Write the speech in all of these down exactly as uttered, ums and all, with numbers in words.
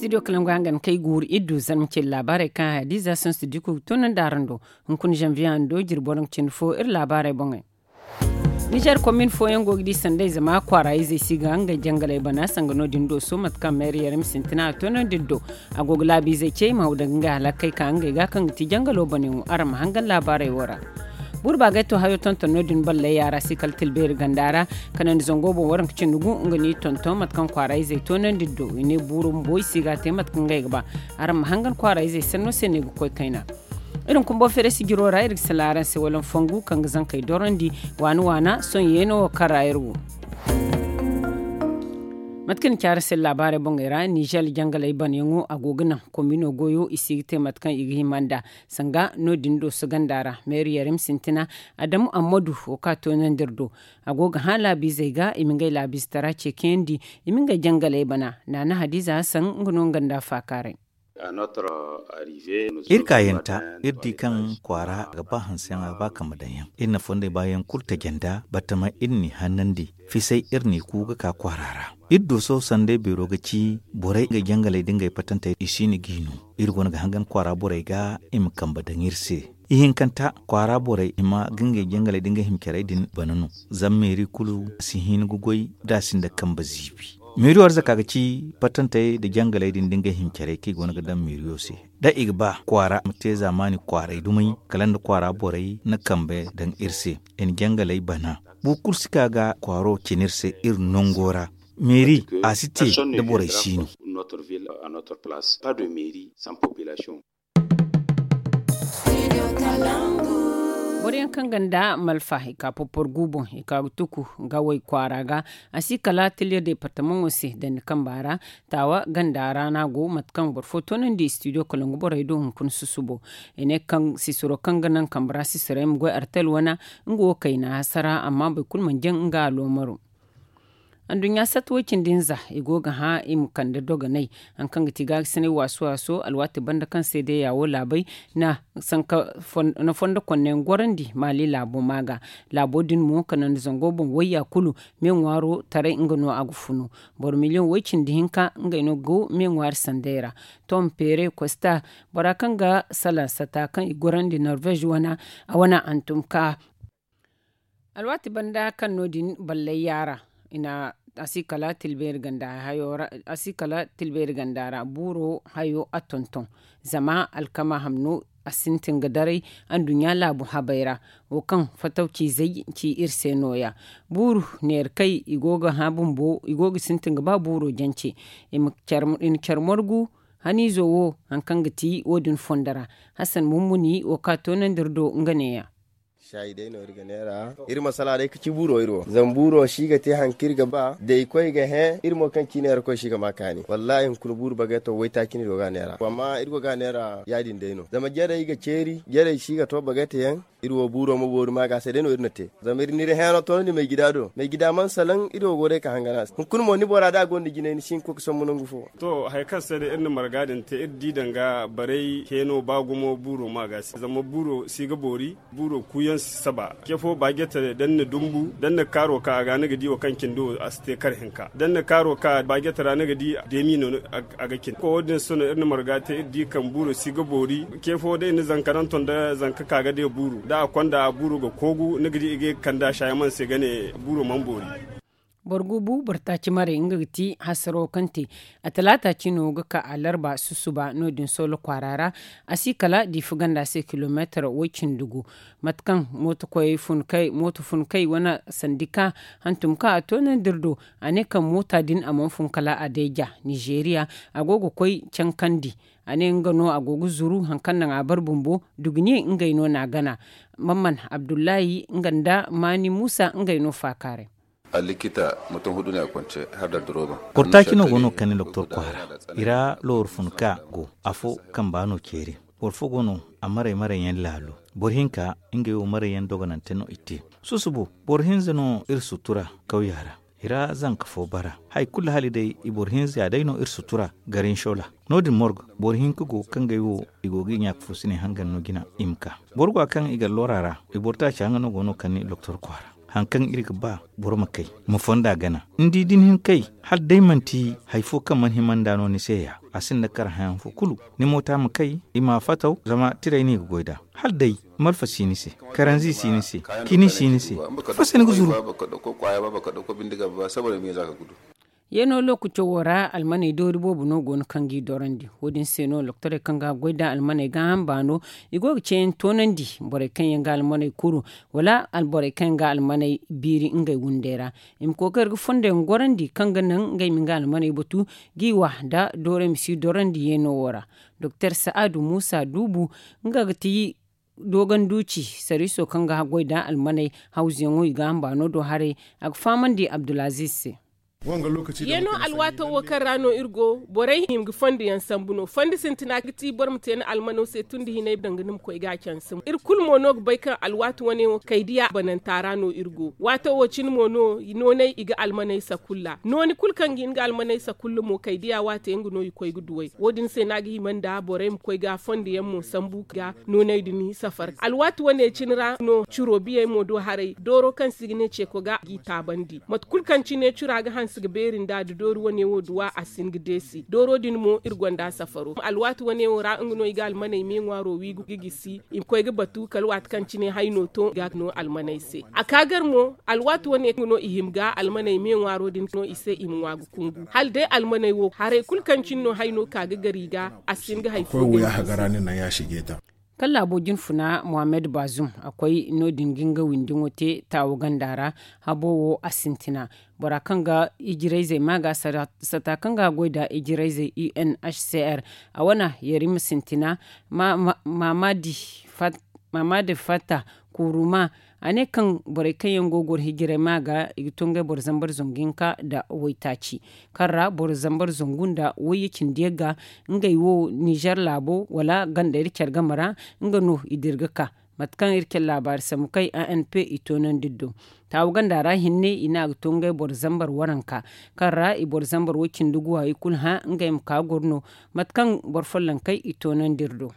Studio kalangu hangan kay guuru iddu zarma ce laabaarey kaŋ hadiza sansu diko ga toonandi araŋ do. Hunkuna zanviye hando jirbi waranka cindi fo iri laabaarey boŋey. Nizer komin fooyaŋ go ga di sanday zama kwaara izey si ga ngey jangaley bana sanga no-din do so mate kaŋ meeri yarim sintina a toonandi iri do. A go ga laabiizey ce i ma haw daŋ ga ngey halakey ka ngey ga kaŋ ga ti jangalo banayaŋo araŋ ma hangan laabaarey wo ra. Buuru baagay to hayo tonton no-din balley yaara si kala tilbeeri ganda ra. Kanandi zango boŋ waranka cindi gu nga no i tonton mate kaŋ kwaara izey toonandi iri do i ne buuru bumbo i si ga a te mate kaŋ ngey ga ba. Araŋ ma hangan kwaara izey sanno se no i ga koy kayna. Iri ma kumbo feere sijiro ra iri ga sala araŋ se wala nfongu kaŋ ga zankey dorandi waana waana sohõ yeeno wo kaŋ ra iri wo. Mate kaŋ ni ci araŋ se laabaarey boŋey ra nizer jangaley banayaŋo a go ga naŋ komino goyo i si ga te mate kaŋ i ga hima nd'a. Sanga no-din do suganda ra meeri yarim sintina adamu ammadu wo kaŋ a toonandi iri do. A go ga hã laabiizey ga i ma ngey laabiizetaraa ceekayandi i ma ngey jangaley bana. Naana hadiza hasan nga no nga nda faakaaray. Iri kaayanta iri di kaŋ kwaara ga ba hanseyaŋ a ga ba kambe daŋ yaŋ iri na fondey baayaŋ kulu taji nd'a batama iri n'i hannandi. Fisay iri n'i ku ga ka kwaara ra. Iri do sohõ sanday beero ga ci borey ngey jangaley da ngey patantey i si no g'i no. Iri go no ga hangan kwaara borey ga i ma kambe daŋ iri se. Ihinkanta kwaara borey hima ga ngey jangaley da ngey hima carey din bana no. Zama meeri kulu si hin ga goy da a sinda kambe ziibi. Meeri wo arzaka ga ci patantey nda jangaley din da ngey hima carey kaŋ i go no ga daŋ meeriyo se. Da i ga ba kwaara ma te zaamaani kwaaray dumey kala nda kwaara borey na kambe daŋ iri se. I na jangaley bana. Boro kulu si ka ga kwaaro cina iri se iri nango ra. Meeri a si te da borey si no. Boro yaŋ kaŋ ganda malfa i ka porpor gu boŋ i ka ga tuku ga way kwaara ga. A si kala tiliya departamaŋo se dandi kamba ra. Taawa ganda ra no a go mate kaŋ boro fo toonandi studio kalangu borey do hunkuna susubo. I ne kaŋ sisiro kaŋ ga naŋ kambe ra sisirey ma goy artel wana nga wo kayna hasara amma boro kulu mana jaŋ nga aloomaro. Anduɲɲa sata way-cindi hinza i go ga hã i ma kande dogonay. Hari kaŋ ga ti gaagasinay waasu waaso alwaati banda kaŋ seedeya wo laabey na sanka fondo konneyaŋ gorandi maali laabo ma ga. Laabo din mo kanandi zango boŋ wayya kulu me ŋwaaro taray nga no a ga funu. Boro miliyoŋ way-cindi hinka ngey no go me ŋwaari sanday ra. Tom peere kosta bora kaŋ ga salaŋ sata kaŋ i gorandi norvez wana a wana hantum ka. Alwaati banda kaŋ no- din ballay yaara a si kala tilbeeri ganda ra buuro hayo a tonton. Zama alkama hamno a sintin ga daray anduɲɲa laabu habay ra. Wo kaŋ fatawciizey ci iri se no- ya buuru neera kay i go ga hã bumbo i go ga sintin ga ba buuro jance. I na care morgu haniizo wo hari kaŋ ga ti wo- din fondo ra. Hassan mummuni wo kaŋ a toonandi iri do nga ne- ya. Saayi day no iri ga neera iri ma sala day ga ci buuro iri wo zama buuro si ga te hari kaŋ iri ga ba da i koy ga hẽ iri mo kaŋ ci neera koy si ga ma kaani wallaahi hunkuna buuru bagay to waytaaci no iri go ga a neera amma iri go ga a neera ya- din day no zama jarey ga ceeri jarey si ga to bagay te yaŋ. Iri wo buuro ma boori ma ga se day no iri na te zama iri n'iri hẽeno toonandi maygida do maygida mana salaŋ iri wo go day ka hangan a se hunkuna mo ni bora da a gonda jinay ni si hin ga koy ga sombu nangu fo. To hari kaŋ se day iri na marga din te iri di danga barey hẽeno ba gumo buuro ma ga se zama buuro si ga boori. Buuro kuuyaŋ si saba ce fo ba jatare da ni na dumbu da ni na kaaro ka a ga ni ga di wo kaŋ cindi wo a si te kar hinka da ni na kaaro ka ba jatara ni ga di deemi no a ga cindi ko wo- din se no iri na marga te iri di kaŋ buuro si ga boori. Ce fo day ni zanka naŋ ton da zanka ka ga day buuru da a konda buuro ga koogu ni ga di i ga ye ga kande a saayaman se ga ne buuro mana boori. Boro guubu boro taaci maray nga ga ti hasaro kaŋ te a talaata cino ga ka a larba susuba no- din solo kwaara ra. A si kala diifa ganda se kilomeetar way- cindi gu. Mate kaŋ mooto koyey fun kay mooto fun kay wane sandi ka hantum kaŋ a toonandi iri do. A ne kaŋ moota din a mana fun kala a deeja nizeeriya a go ga koy cankandi. A ne nga no a go ga zuru hari kaŋ naŋ a bare bumbo duguniye ngey no n'a gana. Mamman abdullahi nga nda maani muusa ngey no faakaaray. Allikita mutum hudu ne a kwance har da duroban. Portaki no go no kani doktor kwaara. I ra looru fun ka go afo kamba no ceeri. Boro fo go no a maray maray yaŋ laalo. Boro hinka ngey wo maray yaŋ dogonante no i te. Susubo boro hinza no iri sutura kawya ra. I ra zanka fo bara hari kulu hala day i boro hinza ya day no iri sutura garin shola. No- din morgo boro hinka go kaŋ gay wo i go ga i ɲaaka fo si ne hangan no jina i ma ka. Boro go a kaŋ i ga lora ra i boro taaca nga no go no kani doktor kwaara. Hari kaŋ iri ga ba boro ma kay ma fonda gana ni di da ni hin kay hala day manti hari fo kaŋ mana hima nd'a no ni se ya. a sinda kar hayaŋ fo kulu. Ni moota ma kay, i ma a fataw, zama tiray no i ga goy nd'a. Hala day malfa si ni se, karanzi si ni se, kini si ni se. Faso ni ga zuru. Yeeno lookaco wo ra almaney doori boobo no go no kaŋ g'i dorandi. Wo- din se no doktorey kaŋ ga goy nda almaney gaaham baano, i go ga ceeyaŋ toonandi borey kaŋ yaŋ ga almaney kuru, wala borey kaŋ yaŋ ga almaney biiri ngey windey ra. I ma kookari ga fondo yaŋ gorandi kaŋ ga naŋ ngey ma nga almaney batu, g'i wa nda doorey ma si dorandi yeeno wo ra. Doktor sa'adu muusa duubu, nga ga ti dooganduuci, sariiso kaŋ ga goy nda almaney hawzuyaŋo i ga hamba no do haray. A ga fahamandi abdulaziz se. Yeeno alwaato wo kaŋ ra no iri go, borey hima ga fondo yaŋ sambu no. Fondo sintina ga ti boro ma te ni almano se tun da hinay danga ni ma koy ga a canse mo. Iri kulu mo no ga bay kaŋ alwaati wane wo kaydiya bananta ra no iri go. Waato wo cine mo no nooney i ga almaney sakulla, nooni kulu kaŋ ga hin ga almaney sakulla mo kaydiya waate nga no i koy ga duw'ey. Wo- din se no a ga hima nda borey ma koy ga fondo yaŋ mo sambu ga nooney din safar. Alwaati wane cine ra no ciro biyey mo do haray dooro kaŋ se i ga ne ceeko ga g'i taabandi. Mate kulu kaŋ cine cira ga hanse ga beeri nda da doori wane wo duwa a si hin ga deesi dooro din mo iri gonda safaro. Alwaati wane wo ra nga no i ga almaney me ŋwaaro wi ga gisi i ma koy ga batu kala waati kaŋ cine hayno to ga no almaney se. A ka gar mo alwaati wane nga no i hima ga almaney me ŋwaaro din no i se i ma ŋwa ga kungu hala day almaney wo haray kulu kaŋ cine no hayno ka ga gar i ga a si hin ga hari fo ga. Kala laabo jinfuna mohammed bazum a koy no- din ga nga windiŋo te taawo ganda ra. Habo wo a sintina bora kaŋ ga ijirayzey ma ga sata kaŋ ga goy nda ijirayzey unhcr a wane yarima sintina. Maamadi fatta kuruma a ne kaŋ borey kaŋ yaŋ go ga goro hijiray ma ga i ga to ngey boro zambar zangu hinka nda waytaaci kaŋ ra boro zambar zangu nda wayye cindi yaŋ ga ngey wo nizer laabo wala ganda iri care game ra. Nga no i dira ga ka mate kaŋ iri care laabaari sambu kay anp i toonandi iri do. Taawu ganda ra hinne i ne a ga to ngey boro zambar waranka kaŋ ra i boro zambar way cindi guwa i kulu hã ngey ma ka goro no. Mate kaŋ boro follonkey i toonandi iri do.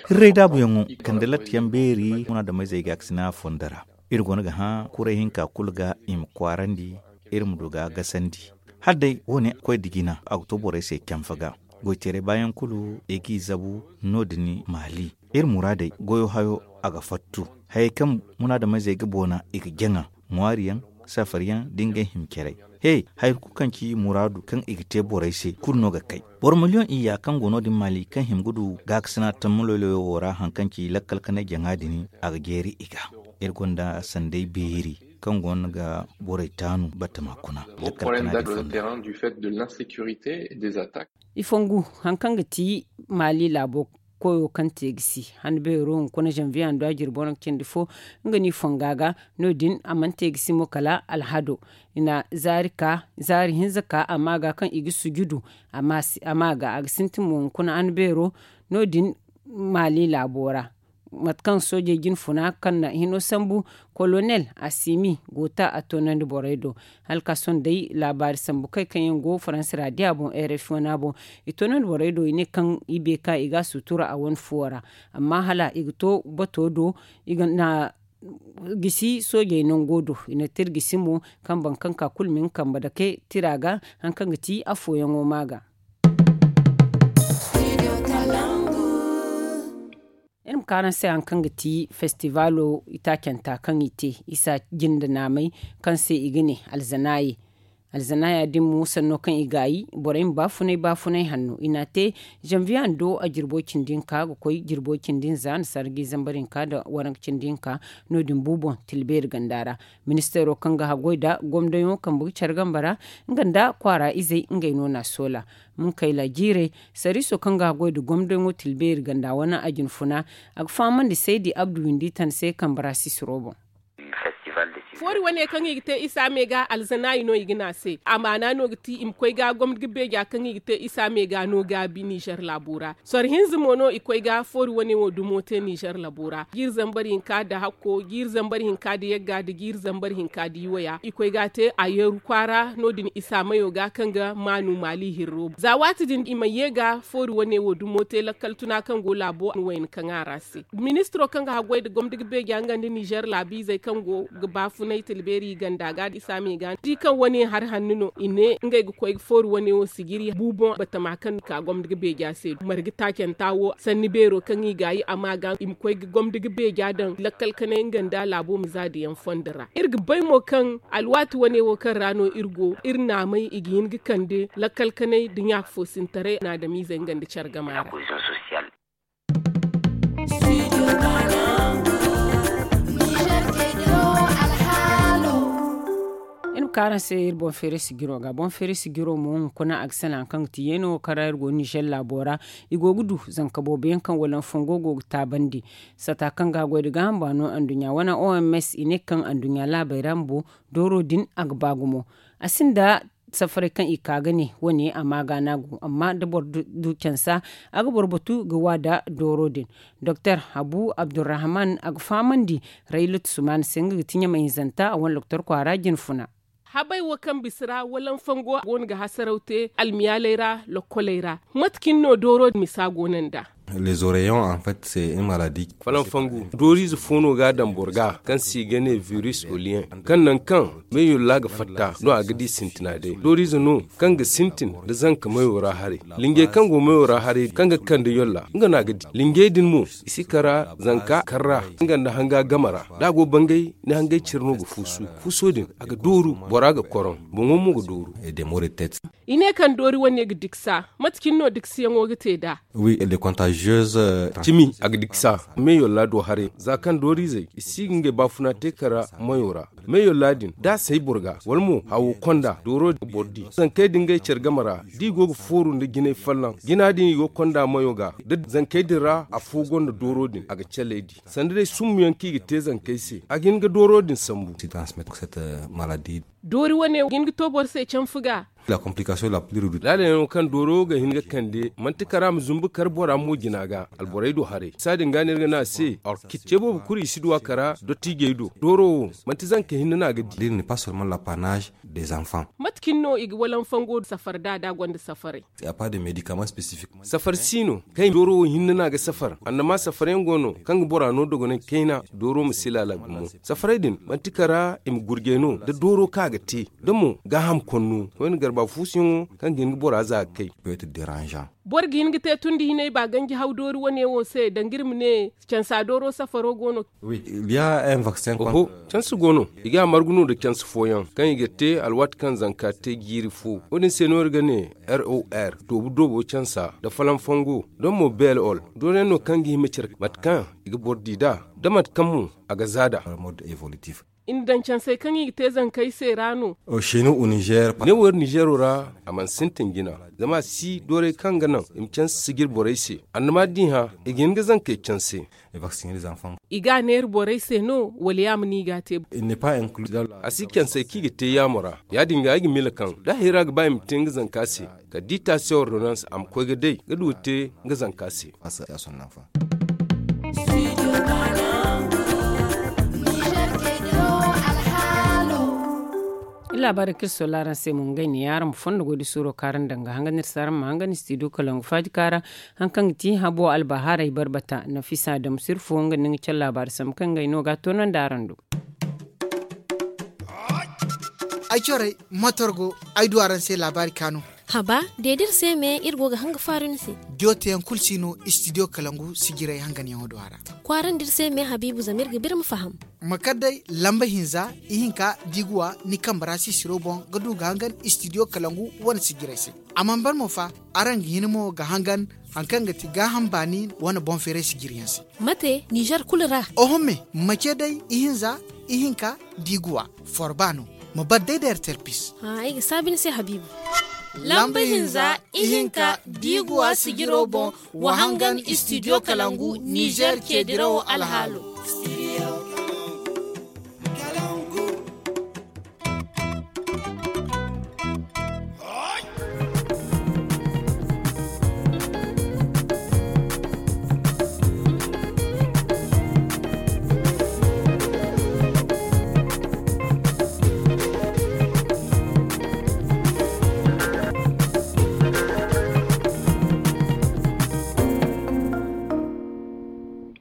Hirray daabuyaŋo kande latta yaŋ beeri munaadameyzey ga a ga sina fondo ra. Iri go no ga hã kuray hinka kulu ga i ma kwaarandi iri ma du ga gasandi. Hala day wo- ne koy da jina a ga to borey se canfa ga. Goyteeray baayaŋ kulu i g'i zabu no- din maali. Iri muraadey goyo hayo a ga fattu. Hayey kaŋ munaadameyzey ga boona i ga jaŋa ŋwaari yaŋ, safari yaŋ da ngey hima caray. He, hari kulu kaŋ ci muraadu kaŋ i ga te borey se kulu no ga kay. Boro miliyoŋ iyya kaŋ go no- din maali kaŋ hima ga du gaakasina tammuloyloyo wo ra haŋ kaŋ ci lakkal kanay jaŋa din a ga jeeri i ga. Iri gonda sanday beeri kaŋ go no ga borey taanu batama kuna. I fongu haŋ kaŋ ga ti maali laabo koyo kaŋ te ga si han beero hunkuna zanviye hando a jirbi waranka cindi fo. Nga no i fonga ga no- din a mana te ga si mo kala alhado i na zaari ka zaari hinza ka a ma ga kaŋ i ga sujudu. A ma ga a ga sintin mo hunkuna han beero no- din maali laabo ra. Mate kaŋ soojey jinfuna kaŋ na hino sambu kolonel asimi go ta a toonandi borey do. Hala ka sohõ day laabaari sambu kay kaŋ yaŋ go faransi raadiya boŋ rfi wana boŋ. I toonandi borey do i ne kaŋ i beeka i ga a sutura a wane fuwo ra. Amma hala i ga to bato do i ga na gisi soojey nango do i na tira gisi mo kaŋ boro kaŋ ka kulu ma nga kambe dake tira ga. Haŋ kaŋ ga ti afooyaŋo ma ga. Iri ma ka araŋ se haŋ kaŋ ga ti festivaalo itaacanta kaŋ i te isa jinde naamay kaŋ se i ga ne alzanaaye. Alzanaaya din mo sanno kaŋ i gaayi borey ma baafunay baafunay hanno i n'a te. Zanviye hando a jirbo cindi hinka ga koy jirbo cindi hinza nda sarji zambar hinka nda waranka cindi hinka. No- din bu boŋ tilbeeri ganda ra. Ministeero kaŋ ga haggoy nda gomdoyaŋo kambe ga care gamba ra nga nda kwaara izey ngey no n'a soola. Munkayla jiirey sariiso kaŋ ga haggoy nda gomdoyaŋo tilbeeri ganda wane a jinfuna. A ga fahamandi saydi abdu windi tan se kambe ra sisiro boŋ. Foori wane kaŋ i ga te isa me ga alzanaayi no i ga ne a se a maana no ga ti i ma koy ga gomdo ga beeja kaŋ i ga te isa me ga no gaabi nizer laabo ra. Soro hinza mo no i koy ga foori wane wo dumo te nizer laabo ra jiiri zambar hinka nda hakko jiiri zambar hinka nda yagga nda jiiri zambar hinka nda iwaya i koy ga a te a yeeru kwaara no- din isa mayo ga kaŋ ga maanu maali hirro za waati din i ma ye ga foori wane wo dumo te lakkal tuna kaŋ go laabo wayna kaŋ a ra se. Ministiro kaŋ ga haggoy nda gomdo ga beeja nga nda nizer laabiizey kaŋ go ga baafuna. no ay tilbeeri i ganda ga i saami ga di kaŋ wane hari hanno no i ne ngey ga koy ga fooru wane wo sijiri buuboŋ batama kaŋ ga ka gomni ga beeja se marga taacanta wo sanni beero kaŋ i ga yi a ma ga i ma koy ga gomni ga beeja daŋ lakkal kanay nga nda laabo ma za da yaŋ fondo ra iri ga bay mo kaŋ alwaati wane wo kaŋ ra no iri go iri naamay i ga hin ga kande lakkal kanay da ɲaaka foosintaray naadamiizey nga nda care gama ra. Iri ma ka araŋ se iri boŋ feeray sijiro ga boŋ feeray sijiro mo hunkuna a ga sanaŋ kaŋ ga ti yeeno kaŋ ra iri go nizer laabo ra. I go ga du zanka boobo yaŋ kaŋ walanfango go ga taabandi sata kaŋ ga a goy da gaaham baano anduɲɲa wane oms i ne kaŋ anduɲɲa laabey ra bumbo dooro din a ga ba gumo. A sinda safaray kaŋ i ka ga ne wane a ma ga no a go amma da boro du cansa a ga boro batu ga wa nda dooro din. Doktor habu abdurrahman a ga fahamandi raylat sumaana se nga ga ti ɲamay hinzanta a wane doktor kwaara jinfuna. Habay wo kaŋ bisa ra walanfango go no ga hasaraw te almiyaaley ra lokkoley ra. Mate cine no dooro misa go no nd'a? Falanfangu dooriize fo no ga a daŋ boro ga kaŋ se i ga ne virus oliyen kaŋ nangu kaŋ meeyolla ga fatta no a ga di sintina day dooriize no kaŋ ga sintin nda zanka mayo ra haray. Linjey kaŋ go mayo ra haray kaŋ ga kande yolla nga no a ga di linjey din mo i si kara zanka kar ra nga nda hanga game ra da a go bangay ni hangay cire no ga fuusu. Fuuso din a ga dooru bora ga koroŋ boŋo mo ga dooru. I ne kaŋ doori wane ga diksa mate cine no diksiyaŋo ga te nd'a? Cimi a ga diksa meeyolla do haray za kaŋ dooriizey i si ga ngey baafuna te kara mayo ra. Meeyolla din da a say boro ga wala mo hawo konda dooro ga boro di zankey din ngey care game ra da i go ga fooru nda jinay folloŋ jina din i go ga konda mayo ga da zankey din ra afo gonda dooro din a ga caley di sanda day summu yaŋ kaŋ i ga te zankey se a ga hin ga dooro din sambu. Doori wane ga hin ga to boro se canfu ga. Laala yaŋo kaŋ dooro ga hin ga kande manti kara ma zumbu kar bora mo jina ga alborey do haray bisa din ga no iri ga ne a se orkit ce boobo kulu i si du a kara dottiijey do dooro wo manti zanka hinne no a ga di. Mate cine no i ga walanfango safar da da gonda safaray? Safar si no kaŋ i ma dooro wo hinne no a ga safar annama safar yaŋ go no kaŋ ga bora no dogonay kayna dooro ma si laala gumo. Safaray din manti kara i ma gurjay no da dooro kaŋ a ga te da mo gaaham konno koyne garba fuusuyaŋo kaŋ ga hin ga bora za ga kay. Boro ga hin ga te tun da hinay ba ganji haw doori wane wo se danga iri ma ne cansa dooro safaro go no? Canse go no i ga a margu no nda canse fooyaŋ kaŋ i ga te alwaati kaŋ zanka te jiiri fo wo- din se no iri ga ne ror doobu doobo cansa nda falanfango nda mo bel ol dooriyaŋ no kaŋ ga hima care mate kaŋ i ga boro di nd'a da mate kaŋ mo a ga za nd'a. I na daŋ cansey kaŋ i ga te zankey se ra no? Ne wo iri nizeero ra a mana sintin jina zama a si doorey kaŋ ga naŋ i ma canse sijir borey se annama da i hã i ga hin ga zankey canse. I ga a neera borey se no wala yaama no i ga a te? A si cansey kaŋ i ga te yaamo ra ya- din ga ay ga miila kaŋ da hayra ga ba i ma te nga zanka se kala da i taasi ordonans a ma koy ga day ga du ga te nga zanka se. Iri laabaarey kaŋ iri soola araŋ se mo ngey ne yaŋ araŋ ma fondo goy da suuro kaŋ araŋ daŋ ga hangan iri se araŋ ma hangan istidiyo kalangu faaji kaŋ ra. Hari kaŋ ga ti habo albahaarey barbata nafisa damusir fo nga nda nga care laabaari sambu kaŋ ngey no ga a toonandi araŋ do. Ay corey motor go ay du araŋ se laabaari kaanu. Haba de da iri se me iri go ga hanga faaru ni se. Diyo teyaŋ kulu si no istidiyo kalangu sijirey hanganyaŋo do a ra. Kwaarandi iri se me habiibu zama iri ga ba iri ma faham. Ma kar day lamba hinza ihinka da i ga wa ni kambe ra sisiro boŋ ga du ga hangan istidiyo kalangu wane sijirey se. A mana ban mo fa araŋ ga hin mo ga hangan hari kaŋ ga ti gaaham baani wane boŋ feeray sijiriyaŋ se. Mate nizer kulu ra? Oho me ma ce day ihinza ihinka da i ga wa forba no. Ma bar day da ertel pis. Ay ga saabi ni se habiibu. Lamba hinza ihinka da i ga wa sijiro boŋ wa hangan istidiyo kalangu nizer ceedirawo alhaalo.